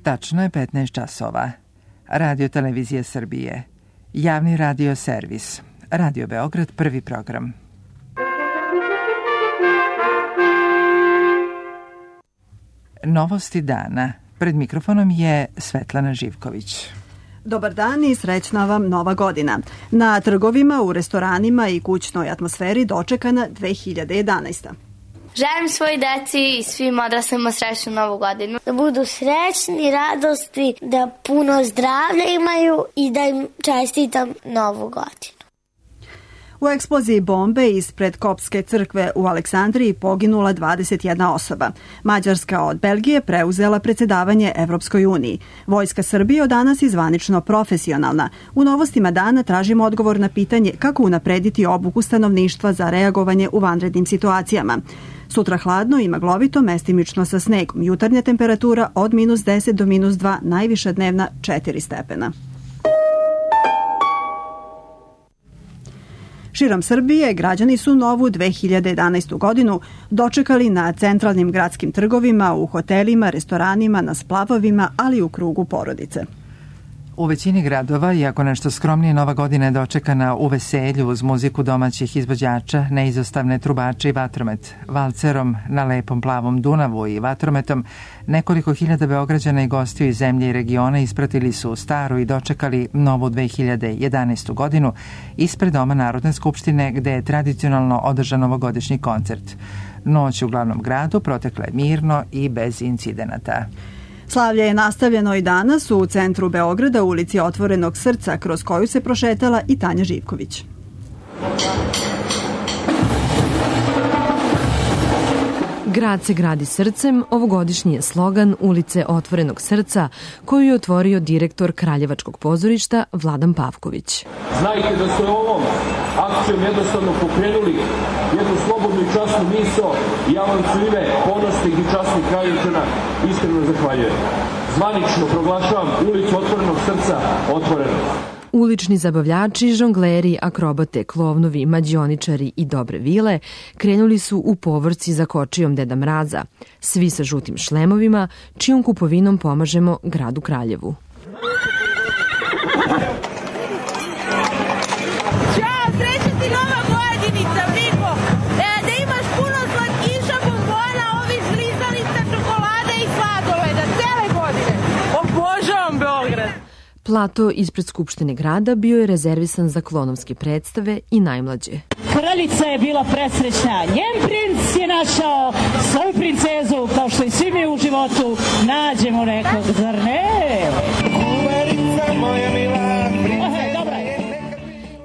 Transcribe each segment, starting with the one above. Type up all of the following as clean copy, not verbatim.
Tačno je 15 časova. Radio Televizija Srbije. Javni radio servis. Radio Beograd, prvi program. Novosti dana. Pred mikrofonom je Svetlana Živković. Dobar dan i srećna vam nova godina. Na trgovima, u restoranima i kućnoj atmosferi dočekana 2011. Želim svoj deci i svim odraslima srećnu novu godinu. Da budu srećni, radosti, da puno zdravlja imaju i da im čestitam novu godinu. U eksploziji bombe ispred Koptske crkve u Aleksandriji poginula 21 osoba. Mađarska od Belgije preuzela predsjedavanje Evropskoj uniji. Vojska Srbije od danas je zvanično profesionalna. U novostima dana tražimo odgovor na pitanje kako unaprediti obuku stanovništva za reagovanje u vanrednim situacijama. Sutra hladno i maglovito, mestimično sa snegom. Jutarnja temperatura od -10 do -2, najviša dnevna 4 stepena. Širom Srbije građani su novu 2011. godinu dočekali na centralnim gradskim trgovima, u hotelima, restoranima, na splavovima, ali i u krugu porodice. U većini gradova, iako nešto skromnije, nova godina je dočekana u veselju uz muziku domaćih izvođača, neizostavne trubače i vatromet. Valcerom na lepom plavom Dunavu i vatrometom nekoliko hiljada Beograđana i gostiju iz zemlje i regiona ispratili su staru i dočekali novu 2011. godinu ispred Doma Narodne skupštine, gde je tradicionalno održan novogodišnji koncert. Noć u glavnom gradu protekla je mirno i bez incidenata. Slavlje je nastavljeno i danas u centru Beograda, u ulici Otvorenog srca, kroz koju se prošetala i Tanja Živković. Grad se gradi srcem, ovogodišnji je slogan ulice Otvorenog srca, koju je otvorio direktor Kraljevačkog pozorišta Vladan Pavković. Znajte da ste ovom akcijom jednostavno pokrenuli jednu slobodnu i časnu misao i ja vam su ime ponosnih i časnih Kraljevčana iskreno zahvaljujem. Zvanično proglašavam ulicu Otvorenog srca otvorenom. Ulični zabavljači, žongleri, akrobate, klovnovi, mađioničari i dobre vile krenuli su u povorci za kočijom Deda Mraza, svi sa žutim šlemovima, čijom kupovinom pomažemo gradu Kraljevu. Ćao, sreća ti nova godinica, Viko! Da imaš puno slatkiša, bombona, ovih žlizanica, čokolade i sladoleda, cele godine! Obožavam Beograd! Plato ispred Skupštine grada bio je rezervisan za klonovske predstave i najmlađe. Kraljica je bila presrećna. Njen princ je našao svoju princezu, kao što i svi mi u životu nađemo nekog, zar ne? Kuverica moja mila princeza.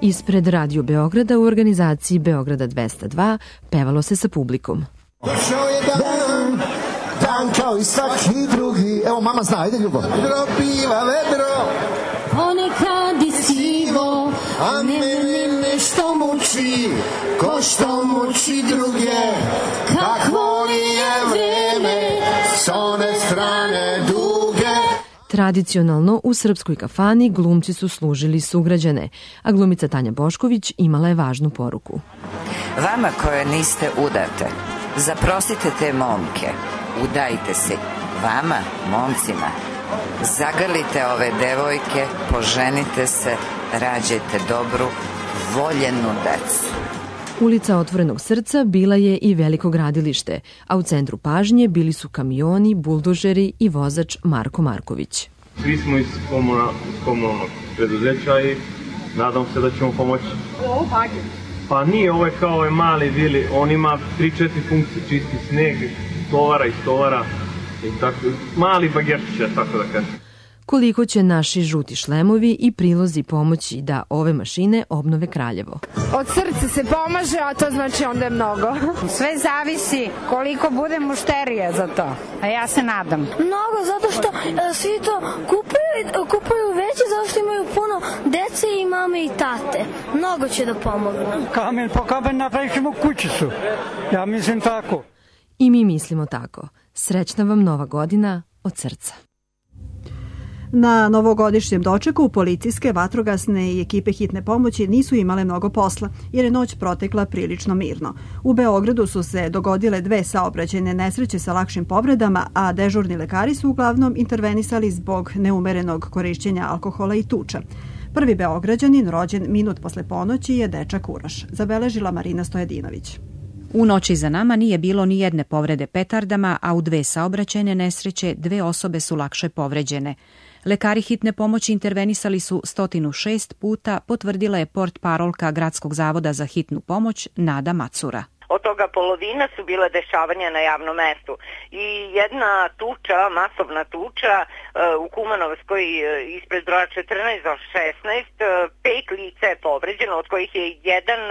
Ispred Radio Beograda u organizaciji Beograda 202 pevalo se sa publikom. Došao je dan, dan kao i svaki drugi. Evo mama zna, ajde ljubav. Vedro piva, vedro. Ponekad i sivo, a mene nešto muči, ko što muči druge. Kakvo li je vreme, s one strane duge. Tradicionalno u srpskoj kafani glumci su služili sugrađane, a glumica Tanja Bošković imala je važnu poruku. Vama koje niste udate, zaprosite te momke, udajte se. Vama, momcima, zagrlite ove devojke, poženite se, rađajte dobru, voljenu decu. Ulica Otvorenog srca bila je i veliko gradilište, a u centru pažnje bili su kamioni, buldožeri i vozač Marko Marković. Svi smo iz komunalnog preduzeća i nadam se da ćemo pomoći. Ovo bager? Pa nije, ovo je kao ovaj mali vili, on ima 3-4 funkcije, čisti sneg, tovara i stovara i tako, mali bagerčić, tako da kažem. Koliko će naši žuti šlemovi i prilozi pomoći da ove mašine obnove Kraljevo? Od srca se pomaže, a to znači onda je mnogo. Sve zavisi koliko bude mušterija za to, a ja se nadam. Mnogo, zato što svi to kupuju veće, zato što imaju puno dece i mame i tate. Mnogo će da pomogu. Kamen po kamen napravit ćemo kućicu. Ja mislim tako. I mi mislimo tako. Srećna vam nova godina od srca. Na novogodišnjem dočeku policijske, vatrogasne i ekipe hitne pomoći nisu imale mnogo posla, jer je noć protekla prilično mirno. U Beogradu su se dogodile 2 saobraćajne nesreće sa lakšim povredama, a dežurni lekari su uglavnom intervenisali zbog neumerenog korišćenja alkohola i tuča. Prvi Beograđanin, rođen minut posle ponoći, je dečak Uroš, zabeležila Marina Stojadinović. U noći za nama nije bilo ni jedne povrede petardama, a u 2 saobraćajne nesreće 2 osobe su lakše povređene. Lekari hitne pomoći intervenisali su 106 puta, potvrdila je portparolka Gradskog zavoda za hitnu pomoć Nada Macura. Od toga polovina su bile dešavanja na javnom mestu. I jedna tuča, masovna tuča u Kumanovskoj ispred broja 14 do 16, 5 lica je povređeno, od kojih je jedan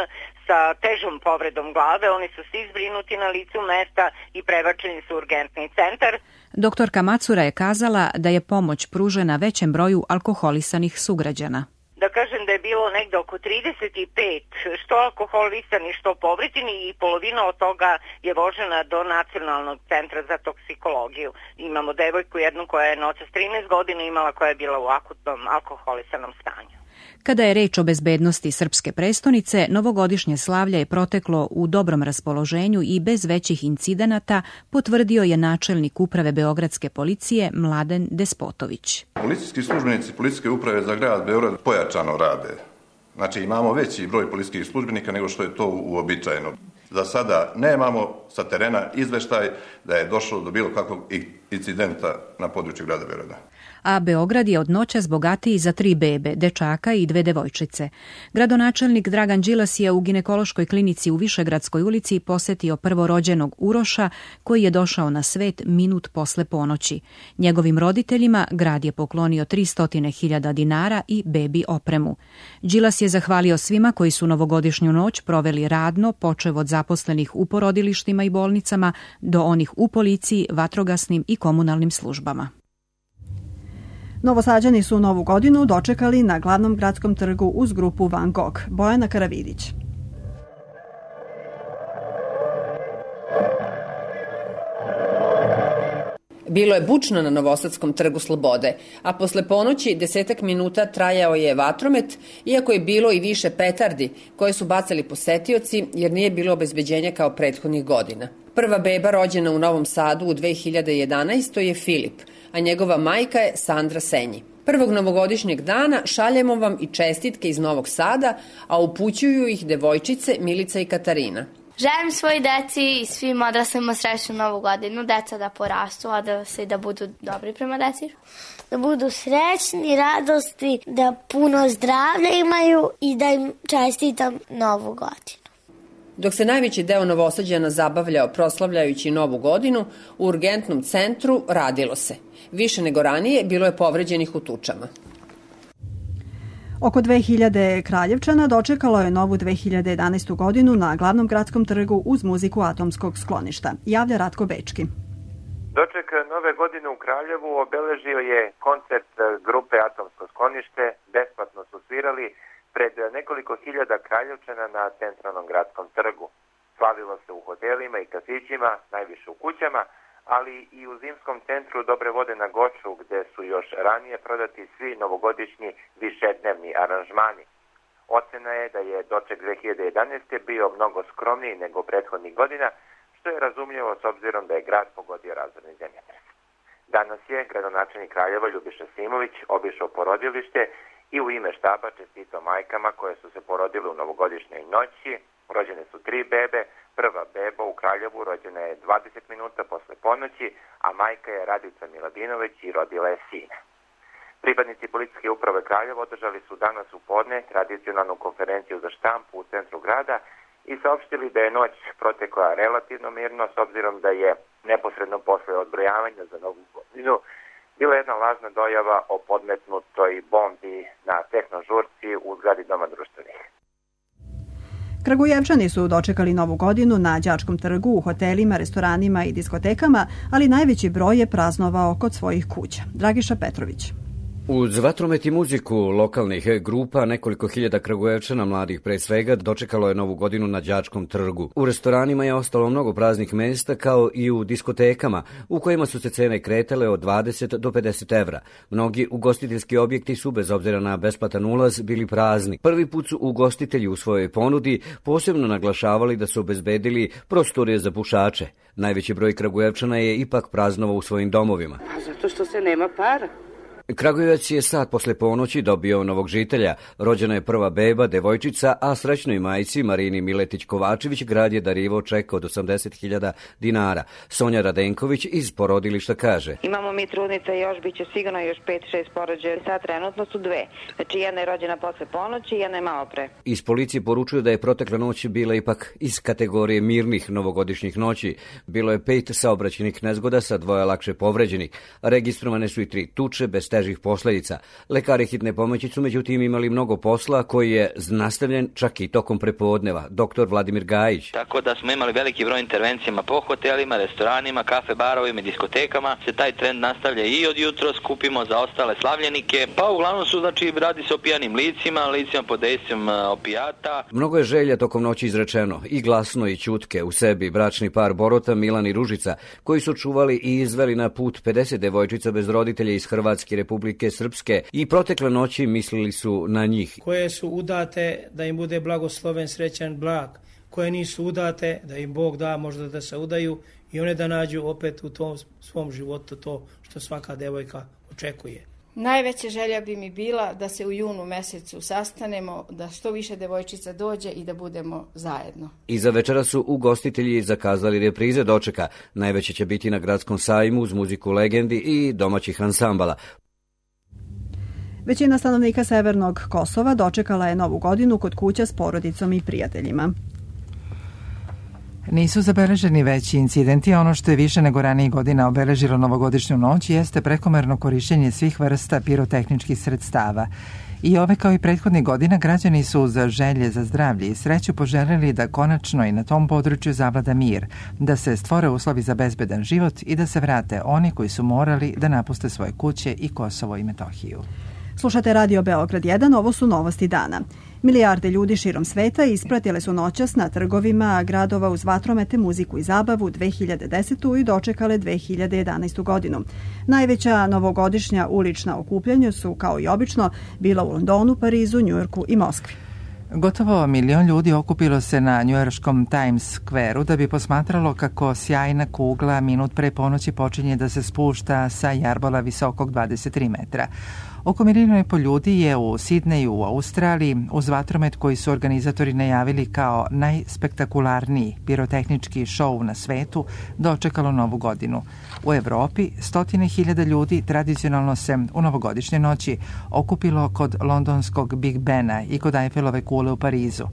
sa težom povredom glave. Oni su svi zbrinuti na licu mesta i prebačeni su u urgentni centar. Doktorka Macura je kazala da je pomoć pružena većem broju alkoholisanih sugrađana. Da kažem da je bilo negde oko 35 što alkoholisani, što povređeni i polovina od toga je vožena do Nacionalnog centra za toksikologiju. Imamo devojku jednu koja je noćas 13 godina imala, koja je bila u akutnom alkoholisanom stanju. Kada je reč o bezbednosti srpske prestonice, novogodišnje slavlje je proteklo u dobrom raspoloženju i bez većih incidenata, potvrdio je načelnik uprave Beogradske policije Mladen Despotović. Policijski službenici Policijske uprave za grad Beograd pojačano rade. Znači imamo veći broj policijskih službenika nego što je to uobičajeno. Za sada nemamo sa terena izveštaj da je došlo do bilo kakvog incidenta na području grada Beograda. A Beograd je od noćas bogatiji za 3 bebe, dečaka i 2 devojčice. Gradonačelnik Dragan Đilas je u ginekološkoj klinici u Višegradskoj ulici posetio prvorođenog Uroša, koji je došao na svet minut posle ponoći. Njegovim roditeljima grad je poklonio 300.000 dinara i bebi opremu. Đilas je zahvalio svima koji su novogodišnju noć proveli radno, počev od zaposlenih u porodilištima i bolnicama do onih u policiji, vatrogasnim i komunalnim službama. Novosađani su Novu godinu dočekali na glavnom gradskom trgu uz grupu Van Gogh. Bojana Karavidić. Bilo je bučno na Novosadskom trgu Slobode, a posle ponoći 10 minuta trajao je vatromet, iako je bilo i više petardi koje su bacali posetioci jer nije bilo obezbeđenja kao prethodnih godina. Prva beba rođena u Novom Sadu u 2011. je Filip, a njegova majka je Sandra Senji. Prvog novogodišnjeg dana šaljemo vam i čestitke iz Novog Sada, a upućuju ih devojčice Milica i Katarina. Želim svoj deci i svim odraslima srećnu Novu godinu, deca da porastu, a da budu dobri prema deci. Da budu srećni, radosti, da puno zdravlja imaju i da im čestitam Novu godinu. Dok se najveći deo Novosađana zabavljao proslavljajući Novu godinu, u urgentnom centru radilo se. Više nego ranije bilo je povređenih u tučama. Oko 2000 Kraljevčana dočekalo je novu 2011. godinu na glavnom gradskom trgu uz muziku Atomskog skloništa. Javlja Ratko Bečki. Doček nove godine u Kraljevu obeležio je koncert grupe Atomsko sklonište. Besplatno su svirali pred nekoliko hiljada Kraljevčana na centralnom gradskom trgu. Slavilo se u hotelima i kafićima, najviše u kućama, ali i u zimskom centru Dobre vode na Goču, gde su još ranije prodati svi novogodišnji višednevni aranžmani. Ocena je da je doček 2011. bio mnogo skromniji nego prethodnih godina, što je razumljivo s obzirom da je grad pogodio razorni zemljotres. Danas je gradonačelnik Kraljeva Ljubiša Simović obišao porodilište i u ime štaba čestitao majkama koje su se porodile u novogodišnjoj noći. Rođene su 3 bebe. Prva beba u Kraljevu rođena je 20 minuta posle ponoći, a majka je Radica Miladinović i rodila je sina. Pripadnici policijske uprave Kraljeva održali su danas u podne tradicionalnu konferenciju za štampu u centru grada i saopštili da je noć protekla relativno mirno, s obzirom da je neposredno posle odbrojavanja za Novu godinu bila jedna lažna dojava o podmetnutoj bombi na tehnožurci u zgradi Doma društvenih. Kragujevčani su dočekali Novu godinu na Đačkom trgu, u hotelima, restoranima i diskotekama, ali najveći broj je praznovao kod svojih kuća. Dragiša Petrović. Uz vatromet i muziku lokalnih grupa, nekoliko hiljada Kragujevčana, mladih pre svega, dočekalo je Novu godinu na Đačkom trgu. U restoranima je ostalo mnogo praznih mesta, kao i u diskotekama, u kojima su se cene kretale od 20 do 50 evra. Mnogi ugostiteljski objekti su, bez obzira na besplatan ulaz, bili prazni. Prvi put su ugostitelji u svojoj ponudi posebno naglašavali da su obezbedili prostorije za pušače. Najveći broj Kragujevčana je ipak praznovao u svojim domovima. Zato što se nema para. Kragujevac je sat posle ponoći dobio novog žitelja. Rođena je prva beba, devojčica, a srećnoj majci Marini Miletić-Kovačević grad je darivao ček od 80.000 dinara. Sonja Radenković iz porodilišta kaže: Imamo mi trudnice, još biće sigurno još 5-6 porođaja. Sad trenutno su dve. Znači jedna je rođena posle ponoći i jedna je malo pre. Iz policije poručuju da je protekla noć bila ipak iz kategorije mirnih novogodišnjih noći. Bilo je 5 saobraćajnih nezgoda sa 2 lakše povređenih. Registrovane su i 3 tuče bez težih posledica. Lekari hitne pomoći su međutim imali mnogo posla koji je nastavljen čak i tokom prepodneva. Dr. Vladimir Gajić. Tako da smo imali veliki broj intervencijama po hotelima, restoranima, kafe barovima, diskotekama. Se taj trend nastavlja i od jutro, skupimo za ostale slavljenike. Pa uglavnom su, znači, radi se o pijanim licima pod dejstvom opijata. Mnogo je želja tokom noći izrečeno, i glasno i ćutke u sebi. Bračni par Borota, Milan i Ružica, koji su čuvali i izveli na put 50 devojčica bez roditelja iz Hrvatske, Republike Srpske, i protekle noći mislili su na njih. Koje su udate, da im bude blagosloven, srećan, blag. Koje nisu udate, da im Bog da možda da se udaju i one da nađu opet u tom svom životu to što svaka devojka očekuje. Najveća želja bi mi bila da se u junu mesecu sastanemo, da što više devojčica dođe i da budemo zajedno. Iza večera su ugostitelji zakazali reprize dočeka. Najveće će biti na Gradskom sajmu uz muziku legendi i domaćih ansambala. Većina stanovnika Severnog Kosova dočekala je Novu godinu kod kuća s porodicom i prijateljima. Nisu zabeleženi veći incidenti, ono što je više nego ranijih godina obeležilo novogodišnju noć jeste prekomerno korišćenje svih vrsta pirotehničkih sredstava. I ove kao i prethodnih godina građani su za želje za zdravlje i sreću poželjeli da konačno i na tom području zavlada mir, da se stvore uslovi za bezbedan život i da se vrate oni koji su morali da napuste svoje kuće i Kosovo i Metohiju. Slušate Radio Beograd 1, ovo su novosti dana. Milijarde ljudi širom sveta ispratile su noćas na trgovima gradova uz vatromete, muziku i zabavu 2010. i dočekale 2011. godinu. Najveća novogodišnja ulična okupljanja su, kao i obično, bila u Londonu, Parizu, Njujorku i Moskvi. Gotovo 1 milion ljudi okupilo se na njujorškom Times Square-u da bi posmatralo kako sjajna kugla minut pre ponoći počinje da se spušta sa jarbola visokog 23 metra. Oko 1,5 miliona ljudi je u Sidneju u Australiji uz vatromet koji su organizatori najavili kao najspektakularniji pirotehnički šou na svetu dočekalo Novu godinu. U Evropi 100.000 ljudi tradicionalno se u novogodišnje noći okupilo kod londonskog Big Bena i kod Eiffelove kule u Parizu.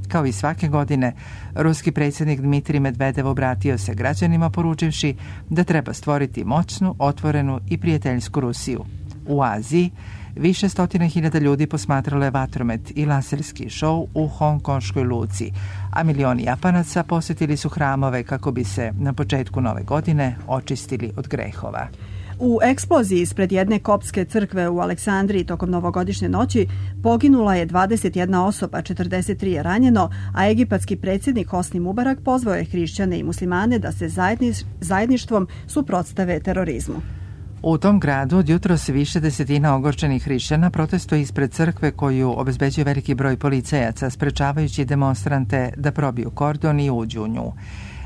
Kao i svake godine, ruski predsjednik Dmitrij Medvedev obratio se građanima poručivši da treba stvoriti moćnu, otvorenu i prijateljsku Rusiju. U Aziji više 100.000 ljudi posmatralo je vatromet i laserski šou u hongkonškoj luci, a milioni Japanaca posjetili su hramove kako bi se na početku nove godine očistili od grehova. U eksploziji ispred jedne koptske crkve u Aleksandriji tokom novogodišnje noći poginula je 21 osoba, 43 je ranjeno, a egipatski predsjednik Hosni Mubarak pozvao je hrišćane i muslimane da se zajedništvom suprotstave terorizmu. U tom gradu od jutros više desetina ogorčenih hrišćana protestuje ispred crkve koju obezbeđuje veliki broj policajaca, sprečavajući demonstrante da probiju kordon i uđu u nju.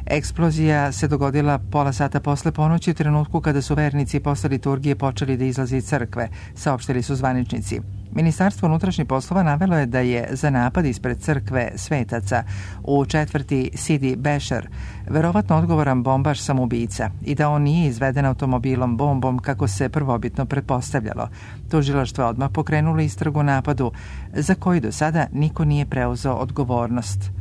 Eksplozija se dogodila pola sata posle ponoći u trenutku kada su vernici posle liturgije počeli da izlaze iz crkve, saopštili su zvaničnici. Ministarstvo unutrašnjih poslova navelo je da je za napad ispred crkve svetaca u četvrti Sidi Bešar verovatno odgovoran bombaš samoubica i da on nije izveden automobilom bombom kako se prvobitno pretpostavljalo. Tužilaštvo je odmah pokrenulo istragu o napadu za koji do sada niko nije preuzeo odgovornost.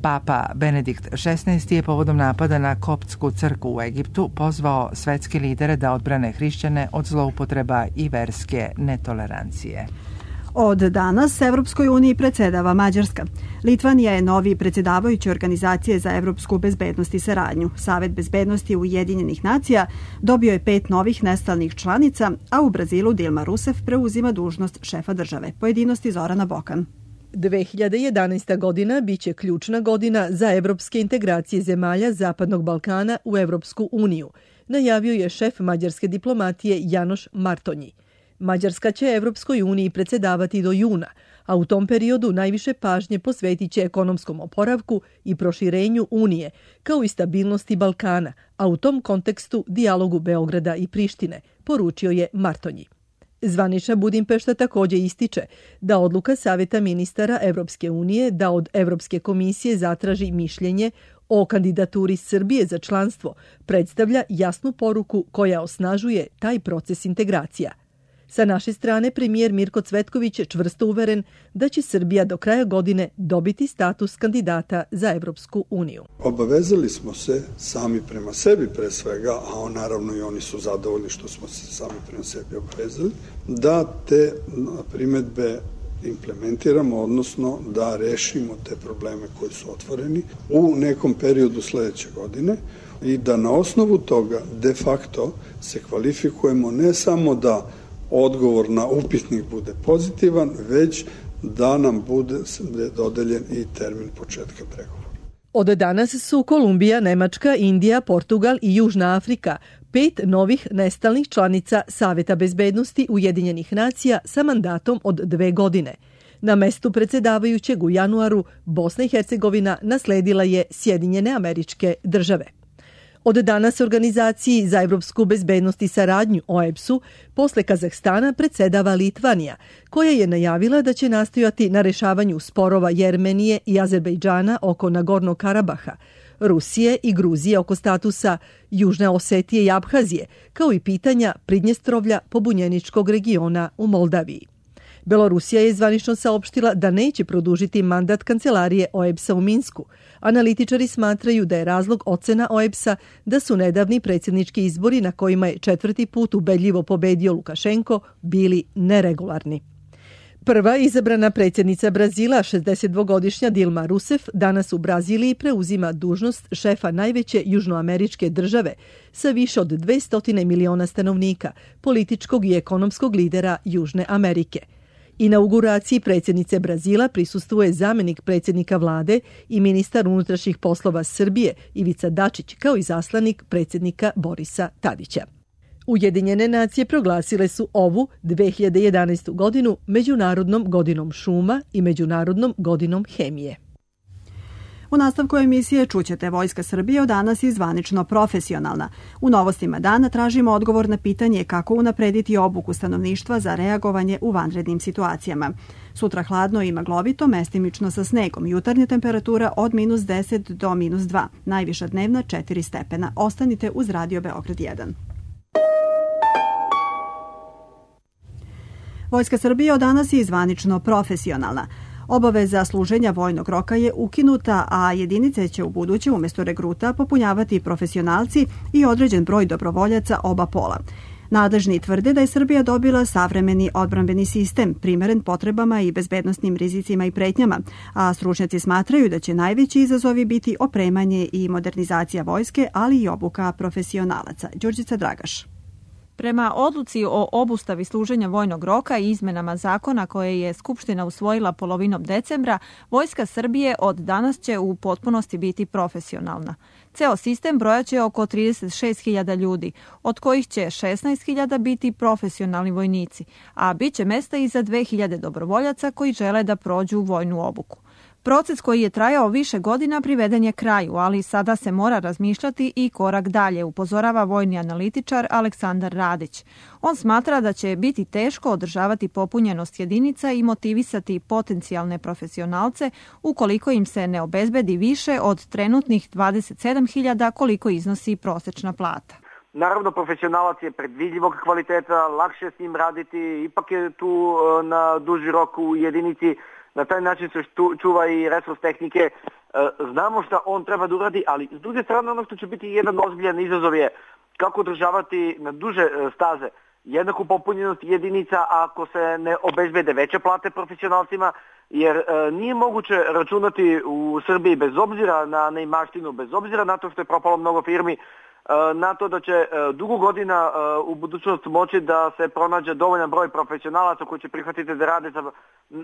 Papa Benedikt XVI je povodom napada na koptsku crkvu u Egiptu pozvao svetske lidere da odbrane hrišćane od zloupotreba i verske netolerancije. Od danas Evropskoj uniji predsedava Mađarska. Litvanija je novi predsjedavajući Organizacije za evropsku bezbednost i saradnju. Savet bezbednosti Ujedinjenih nacija dobio je 5 novih nestalnih članica, a u Brazilu Dilma Rousseff preuzima dužnost šefa države. Pojedinosti Zorana Bokan. 2011. godina biće ključna godina za evropske integracije zemalja Zapadnog Balkana u Evropsku uniju, najavio je šef mađarske diplomatije Janoš Martonji. Mađarska će Evropskoj uniji predsedavati do juna, a u tom periodu najviše pažnje posvetit će ekonomskom oporavku i proširenju Unije, kao i stabilnosti Balkana, a u tom kontekstu dijalogu Beograda i Prištine, poručio je Martonji. Zvanična Budimpešta također ističe da odluka Saveta ministara Evropske unije da od Evropske komisije zatraži mišljenje o kandidaturi Srbije za članstvo predstavlja jasnu poruku koja osnažuje taj proces integracija. Sa naše strane premijer Mirko Cvetković je čvrsto uveren da će Srbija do kraja godine dobiti status kandidata za Evropsku uniju. Obavezali smo se sami prema sebi pre svega, a naravno i oni su zadovoljni što smo se sami prema sebi obavezali, da te primedbe implementiramo, odnosno da rešimo te probleme koji su otvoreni u nekom periodu sledeće godine i da na osnovu toga de facto se kvalifikujemo ne samo da odgovor na upitnik bude pozitivan, već da nam bude dodeljen i termin početka pregovora. Od danas su Kolumbija, Nemačka, Indija, Portugal i Južna Afrika 5 novih nestalnih članica Saveta bezbednosti Ujedinjenih nacija sa mandatom od 2 godine. Na mestu predsjedavajućeg u januaru Bosna i Hercegovina nasledila je Sjedinjene Američke Države. Od danas Organizaciji za evropsku bezbednost i saradnju OEBS-u posle Kazahstana predsedava Litvanija, koja je najavila da će nastojati na rešavanju sporova Jermenije i Azerbejdžana oko Nagornog Karabaha, Rusije i Gruzije oko statusa Južne Osetije i Abhazije, kao i pitanja Pridnjestrovlja pobunjeničkog regiona u Moldaviji. Belorusija je zvanično saopštila da neće produžiti mandat kancelarije OEBS-a u Minsku. Analitičari smatraju da je razlog ocena OEBS-a da su nedavni predsjednički izbori na kojima je 4. put ubedljivo pobedio Lukašenko bili neregularni. Prva izabrana predsjednica Brazila, 62-godišnja Dilma Rousseff, danas u Braziliji preuzima dužnost šefa najveće južnoameričke države sa više od 200 miliona stanovnika, političkog i ekonomskog lidera Južne Amerike. Inauguraciji predsjednice Brazila prisustvuje zamenik predsjednika vlade i ministar unutrašnjih poslova Srbije Ivica Dačić, kao i zaslanik predsjednika Borisa Tadića. Ujedinjene nacije proglasile su ovu 2011. godinu Međunarodnom godinom šuma i Međunarodnom godinom hemije. U nastavku emisije čućete Vojska Srbije od danas je zvanično profesionalna. U novostima dana tražimo odgovor na pitanje kako unaprediti obuku stanovništva za reagovanje u vanrednim situacijama. Sutra hladno i maglovito, mestimično sa snegom. Jutarnja temperatura od -10 do -2. Najviša dnevna 4 stepena. Ostanite uz Radio Beograd 1. Vojska Srbije od danas je zvanično profesionalna. Obaveza služenja vojnog roka je ukinuta, a jedinice će u buduće umjesto regruta popunjavati profesionalci i određen broj dobrovoljaca oba pola. Nadležni tvrde da je Srbija dobila savremeni odbrambeni sistem, primeren potrebama i bezbednosnim rizicima i pretnjama, a stručnjaci smatraju da će najveći izazovi biti opremanje i modernizacija vojske, ali i obuka profesionalaca. Đurđica Dragaš. Prema odluci o obustavi služenja vojnog roka i izmenama zakona koje je Skupština usvojila polovinom decembra, Vojska Srbije od danas će u potpunosti biti profesionalna. Ceo sistem brojaće oko 36.000 ljudi, od kojih će 16.000 biti profesionalni vojnici, a bit će mesta i za 2.000 dobrovoljaca koji žele da prođu vojnu obuku. Proces koji je trajao više godina priveden je kraju, ali sada se mora razmišljati i korak dalje, upozorava vojni analitičar Aleksandar Radić. On smatra da će biti teško održavati popunjenost jedinica i motivisati potencijalne profesionalce ukoliko im se ne obezbedi više od trenutnih 27.000 koliko iznosi prosečna plata. Naravno, profesionalac je predvidljivog kvaliteta, lakše s njim raditi, ipak je tu na duži rok u jedinici. Na taj način se čuva i resurs tehnike. Znamo šta on treba da uradi, ali s druge strane ono što će biti jedan ozbiljan izazov je kako održavati na duže staze jednaku popunjenost jedinica ako se ne obezbede veće plate profesionalcima, jer nije moguće računati u Srbiji bez obzira na neimaštinu, bez obzira na to što je propalo mnogo firmi, na to da će dugo godina u budućnost moći da se pronađe dovoljan broj profesionalaca koji će prihvatiti da rade za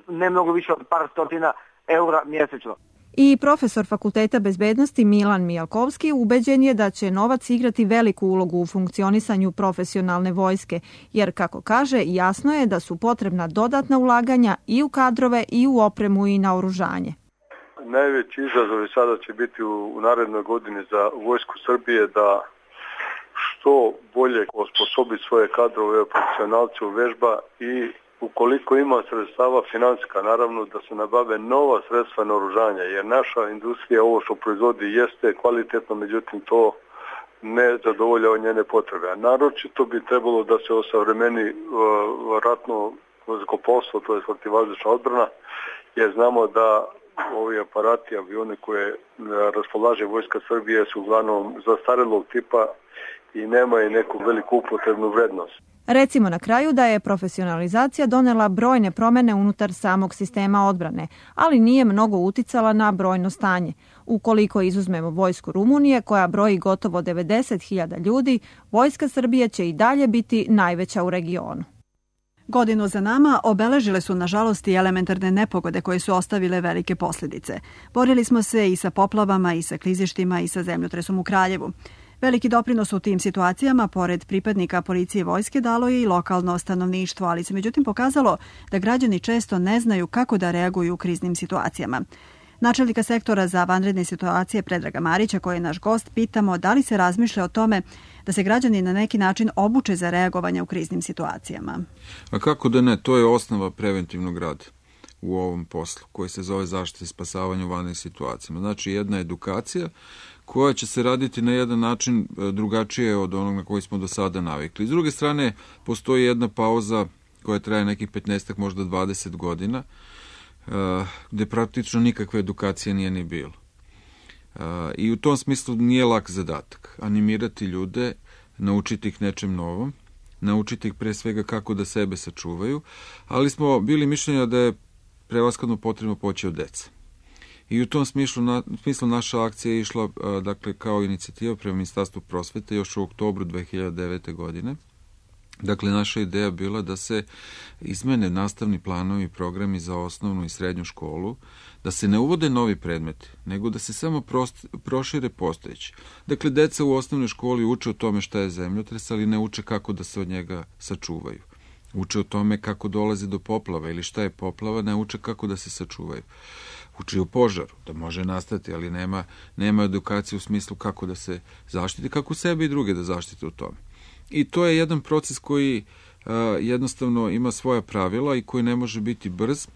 ne mnogo više od par stotina eura mjesečno. I profesor Fakulteta bezbednosti Milan Mijalkovski ubeđen je da će novac igrati veliku ulogu u funkcionisanju profesionalne vojske, jer, kako kaže, jasno je da su potrebna dodatna ulaganja i u kadrove i u opremu i naoružanje. Najveći izazov sada će biti u narednoj godini za vojsku Srbije da što bolje osposobi svoje kadrove, profesionalce u vežba i ukoliko ima sredstava financijska, naravno da se nabave nova sredstva naoružanja, jer naša industrija ovo što proizvodi jeste kvalitetno, međutim to ne zadovoljava njene potrebe. A naročito bi trebalo da se osavremeni ratno zrakoplovstvo, to je protivvazdušna odbrana, jer znamo da ovi aparati, avione koje raspolaže Vojska Srbije su uglavnom zastarelog tipa i nemaju neku veliku upotrebnu vrednost. Recimo na kraju da je profesionalizacija donela brojne promene unutar samog sistema odbrane, ali nije mnogo uticala na brojno stanje. Ukoliko izuzmemo vojsku Rumunije, koja broji gotovo 90.000 ljudi, Vojska Srbije će i dalje biti najveća u regionu. Godinu za nama obeležile su nažalost i elementarne nepogode koje su ostavile velike posljedice. Borili smo se i sa poplavama i sa klizištima i sa zemljotresom u Kraljevu. Veliki doprinos u tim situacijama, pored pripadnika policije i vojske, dalo je i lokalno stanovništvo, ali se međutim pokazalo da građani često ne znaju kako da reaguju u kriznim situacijama. Načelnika sektora za vanredne situacije Predraga Marića, koji je naš gost, pitamo da li se razmišlja o tome da se građani na neki način obuče za reagovanje u kriznim situacijama. A kako da ne, to je osnova preventivnog rada u ovom poslu, koji se zove zaštita i spasavanje u vanrednim situacijama. Znači jedna edukacija koja će se raditi na jedan način drugačije od onog na koji smo do sada navikli. S druge strane, postoji jedna pauza koja traje nekih 15, možda 20 godina, gde praktično nikakve edukacije nije ni bilo. I u tom smislu nije lak zadatak. Animirati ljude, naučiti ih nečem novom, naučiti ih pre svega kako da sebe sačuvaju, ali smo bili mišljenja da je prevashodno potrebno poći od deca. I u tom smislu naša akcija je išla dakle, kao inicijativa prema Ministarstvu prosvete još u oktobru 2009. godine. Dakle, naša ideja bila da se izmene nastavni planovi i programi za osnovnu i srednju školu, da se ne uvode novi predmeti, nego da se samo prošire postojeći. Dakle, deca u osnovnoj školi uče o tome šta je zemljotres, ali ne uče kako da se od njega sačuvaju. Uče o tome kako dolazi do poplava ili šta je poplava, ne uče kako da se sačuvaju. Uči o požaru, da može nastati, ali nema edukacije u smislu kako da se zaštiti, kako sebe i druge da zaštite u tome. I to je jedan proces koji jednostavno ima svoja pravila i koji ne može biti brz,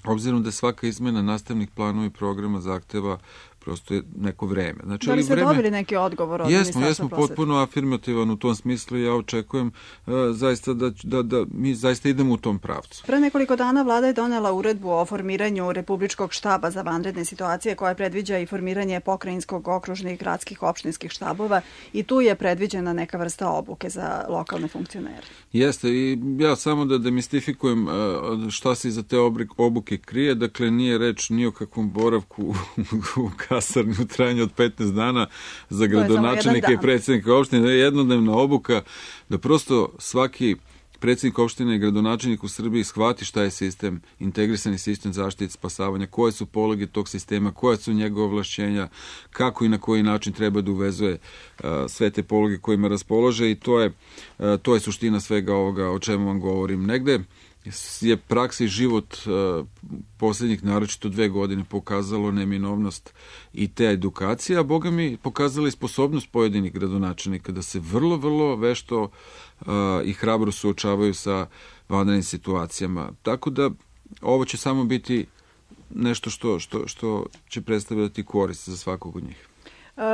obzirom da svaka izmena nastavnih planova i programa zahteva prosto je neko vreme. Znači, da li ste dobili neki odgovor od Ministarstva prosvete? Jesmo potpuno afirmativan u tom smislu i ja očekujem zaista da mi zaista idemo u tom pravcu. Pre nekoliko dana vlada je donela uredbu o formiranju Republičkog štaba za vanredne situacije koja predviđa i formiranje pokrajinskog, okružnih, gradskih, opštinskih štabova i tu je predviđena neka vrsta obuke za lokalne funkcionere. Jeste i ja samo da demistifikujem šta se iza te obuke krije, dakle nije reč ni o kakvom boravku u kasarni u trajanju od 15 dana za gradonačelnike i predsjednika opštine, jednodnevna obuka, da prosto svaki predsjednik opštine i gradonačelnik u Srbiji shvati šta je sistem, integrisani sistem zaštite i spasavanja, koje su pologe tog sistema, koja su njegove ovlašćenja, kako i na koji način treba da uvezuje sve te pologe kojima raspolože i to je suština svega ovoga o čemu vam govorim. Negde je praksa i život posljednjih naročito 2 godine pokazalo neminovnost i te edukacije, a Boga mi pokazala i sposobnost pojedinih gradonačelnika da se vrlo, vrlo vešto i hrabro suočavaju sa vanrednim situacijama. Tako da ovo će samo biti nešto što će predstavljati korist za svakog od njih.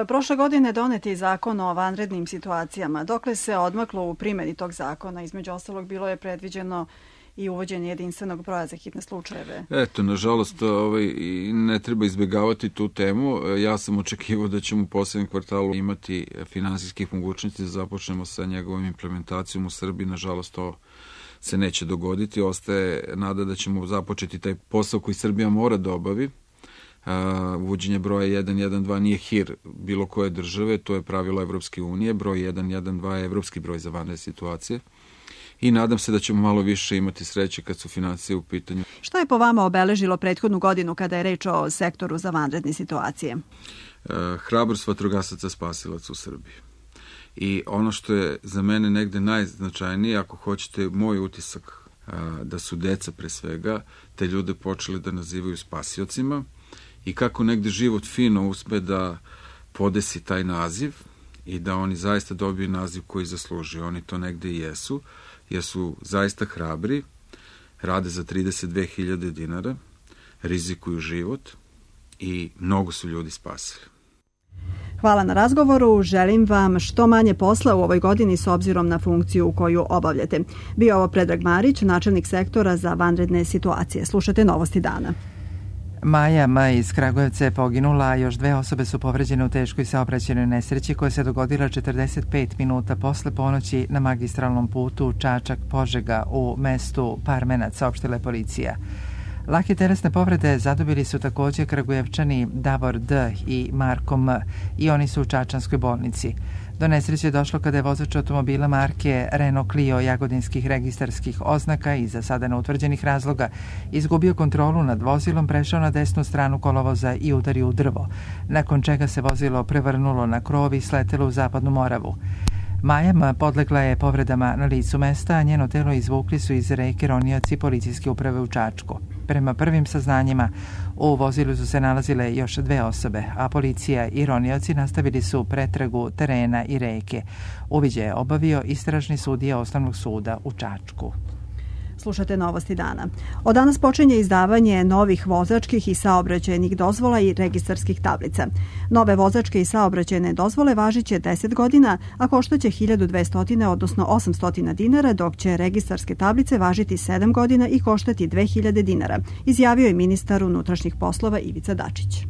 Prošle godine donet je zakon o vanrednim situacijama. Dokle se odmaklo u primjeni tog zakona? Između ostalog bilo je predviđeno i uvođenje jedinstvenog broja za hitne slučajeve. Eto, nažalost, ne treba izbjegavati tu temu. Ja sam očekivao da ćemo u posljednjem kvartalu imati finansijskih mogućnosti da započnemo sa njegovom implementacijom u Srbiji. Nažalost, to se neće dogoditi. Ostaje nada da ćemo započeti taj posao koji Srbija mora da obavi. Uvođenje broja 112 nije hir bilo koje države, to je pravilo Evropske unije. Broj 112 je evropski broj za vanredne situacije. I nadam se da ćemo malo više imati sreće kad su financije u pitanju. Šta je po vama obeležilo prethodnu godinu kada je reč o sektoru za vanredne situacije? Hrabrost vatrogasaca spasilaca u Srbiji. I ono što je za mene negde najznačajnije, ako hoćete moj utisak, da su deca pre svega te ljude počeli da nazivaju spasiocima i kako negde život fino uspe da podesi taj naziv i da oni zaista dobiju naziv koji zaslužuju. Oni to negde i jesu, jer su zaista hrabri, rade za 32.000 dinara, rizikuju život i mnogo su ljudi spasili. Hvala na razgovoru, želim vam što manje posla u ovoj godini s obzirom na funkciju koju obavljate. Bio ovo Predrag Marić, načelnik sektora za vanredne situacije. Slušate Novosti dana. Maja M. iz Kragujevca je poginula, a još 2 osobe su povređene u teškoj saobraćajnoj nesreći koja se dogodila 45 minuta posle ponoći na magistralnom putu Čačak-Požega u mestu Parmenac, saopštila je policija. Lake telesne povrede zadobili su također Kragujevčani Davor D. i Marko M. i oni su u čačanskoj bolnici. Do nesreće je došlo kada je vozač automobila marke Renault Clio jagodinskih registarskih oznaka i za sada neutvrđenih razloga izgubio kontrolu nad vozilom, prešao na desnu stranu kolovoza i udario u drvo, nakon čega se vozilo prevrnulo na krov i sletelo u Zapadnu Moravu. Maja podlegla je povredama na licu mesta, a njeno telo izvukli su iz reke ronioci policijske uprave u Čačku. Prema prvim saznanjima, u vozilu su se nalazile još 2 osobe, a policija i ronioci nastavili su pretragu terena i reke. Uviđaj je obavio istražni sudija Osnovnog suda u Čačku. Slušate Novosti dana. Od danas počinje izdavanje novih vozačkih i saobraćajnih dozvola i registarskih tablica. Nove vozačke i saobraćajne dozvole važiće 10 godina, a koštaće 1200, odnosno 800 dinara, dok će registarske tablice važiti 7 godina i koštati 2000 dinara, izjavio je ministar unutrašnjih poslova Ivica Dačić.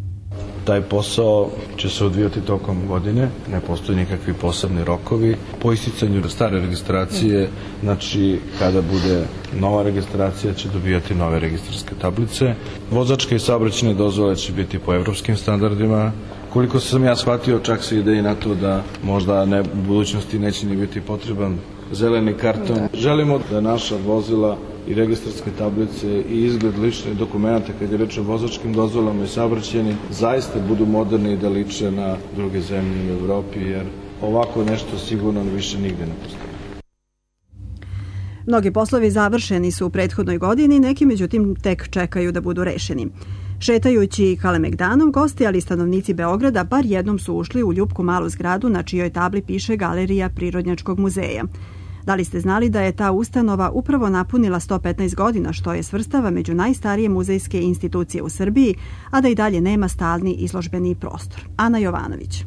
Taj posao će se odvijati tokom godine, ne postoji nikakvi posebni rokovi. Po isticanju stare registracije, znači kada bude nova registracija će dobijati nove registarske tablice. Vozačke i saobraćajne dozvole će biti po evropskim standardima. Koliko sam ja shvatio, čak se ide i na to da možda u budućnosti neće ni biti potreban zeleni karton. Želimo da naša vozila i registarske tablice i izgled ličnih dokumenta kad je reč o vozačkim dozvolama i saobraćajnim zaista budu moderni i da liče na druge zemlje u Evropi, jer ovako nešto sigurno više nigde ne postoji. Mnogi poslovi završeni su u prethodnoj godini, neki međutim tek čekaju da budu rešeni. Šetajući Kalemegdanom, gosti, ali i stanovnici Beograda bar jednom su ušli u ljupku malu zgradu na čijoj tabli piše Galerija Prirodnjačkog muzeja. Da li ste znali da je ta ustanova upravo napunila 115 godina, što je svrstava među najstarije muzejske institucije u Srbiji, a da i dalje nema stalni izložbeni prostor? Ana Jovanović.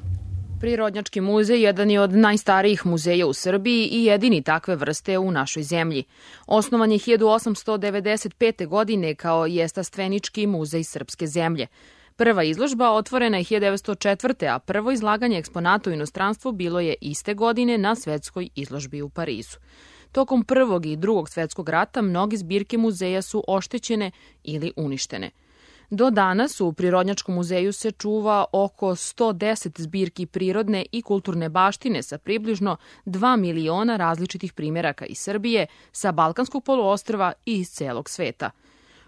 Prirodnjački muzej jedan je od najstarijih muzeja u Srbiji i jedini takve vrste u našoj zemlji. Osnovan je 1895. godine kao jestastvenički muzej srpske zemlje. Prva izložba otvorena je 1904. a prvo izlaganje eksponata u inostranstvu bilo je iste godine na svetskoj izložbi u Parizu. Tokom Prvog i Drugog svetskog rata mnoge zbirke muzeja su oštećene ili uništene. Do danas u Prirodnjačkom muzeju se čuva oko 110 zbirki prirodne i kulturne baštine sa približno 2 miliona različitih primjeraka iz Srbije, sa Balkanskog poluostrva i iz celog sveta.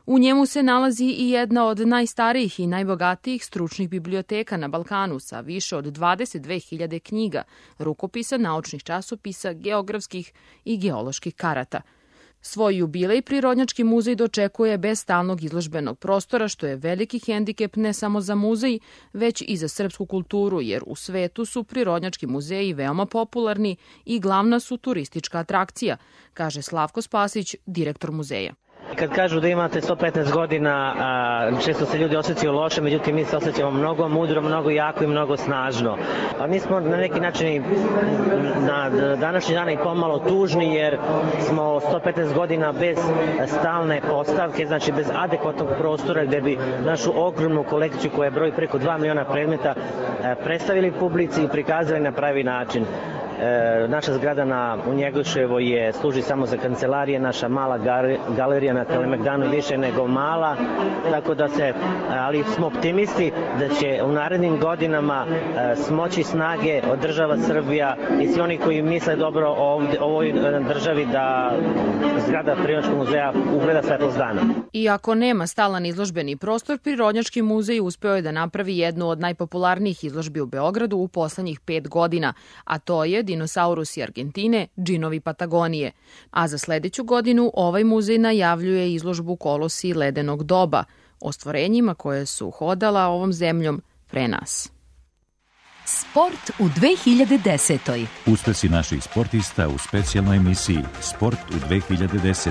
U njemu se nalazi i jedna od najstarijih i najbogatijih stručnih biblioteka na Balkanu sa više od 22.000 knjiga, rukopisa, naučnih časopisa, geografskih i geoloških karata. Svoj jubilej Prirodnjački muzej dočekuje bez stalnog izložbenog prostora, što je veliki hendikep ne samo za muzej, već i za srpsku kulturu, jer u svetu su prirodnjački muzeji veoma popularni i glavna su turistička atrakcija, kaže Slavko Spasić, direktor muzeja. Kad kažu da imate 115 godina, često se ljudi osjećaju loše, međutim mi se osjećamo mnogo mudro, mnogo jako i mnogo snažno. A mi smo na neki način na današnji dan i pomalo tužni jer smo 115 godina bez stalne postavke, znači bez adekvatnog prostora gde bi našu ogromnu kolekciju koja broji preko 2 miliona predmeta predstavili publici i prikazali na pravi način. Naša zgrada u Njegoševoj služi samo za kancelarije, naša mala galerija na Kalemegdanu više nego mala, tako da ali smo optimisti da će u narednim godinama smoći snage od država Srbija i svi oni koji misle dobro o ovoj državi da zgrada Prirodnjačkog muzeja ugleda svetlost dana. Iako nema stalan izložbeni prostor, Prirodnjački muzej uspeo je da napravi jednu od najpopularnijih izložbi u Beogradu u poslednjih 5 godina, a to je Dinosaurusi Argentine, džinovi Patagonije. A za sledeću godinu ovaj muzej najavljuje izložbu Kolosi ledenog doba, o stvorenjima koje su hodala ovom zemljom pre nas. Sport u 2010. Uspesi naših sportista u specijalnoj emisiji Sport u 2010.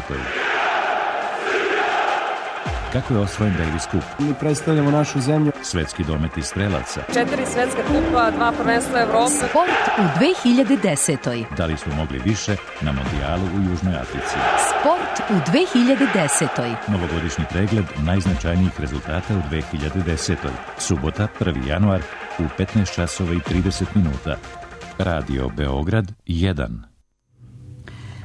Kako je osvojen Davis Cup? Mi predstavljamo našu zemlju. Svetski dometi strelaca. 4 svetska kupa, 2 prvenstva Evrope. Sport u 2010. Da li smo mogli više na Mondijalu u Južnoj Africi? Sport u 2010. Novogodišnji pregled najznačajnijih rezultata u 2010. Subota, 1. januar u 15 časova i 30 minuta. Radio Beograd 1.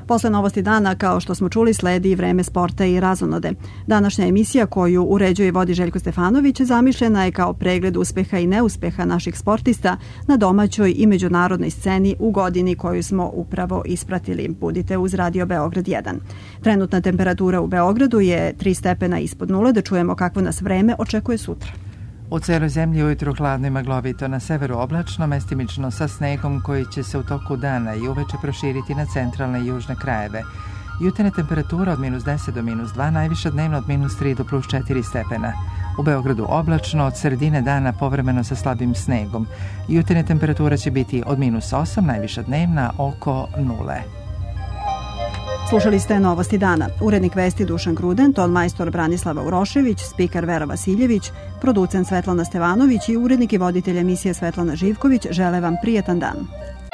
Posle novosti dana, kao što smo čuli, sledi i vreme sporta i razonode. Današnja emisija koju uređuje i vodi Željko Stefanović zamišljena je kao pregled uspeha i neuspeha naših sportista na domaćoj i međunarodnoj sceni u godini koju smo upravo ispratili. Budite uz Radio Beograd 1. Trenutna temperatura u Beogradu je 3 stepena ispod nule. Da čujemo kakvo nas vreme očekuje sutra. U celoj zemlji ujutru hladno i maglovito, na severu oblačno, mestimično sa snegom koji će se u toku dana i uveče proširiti na centralne i južne krajeve. Jutarnja temperatura od -10 do -2, najviša dnevno od -3 do +4 stepena. U Beogradu oblačno, od sredine dana povremeno sa slabim snegom. Jutarnja temperatura će biti od -8, najviša dnevna oko 0. Slušali ste novosti dana. Urednik vesti Dušan Gruden, ton majstor Branislava Urošević, spiker Vera Vasiljević, producent Svetlana Stevanović i urednik i voditelj emisije Svetlana Živković žele vam prijetan dan.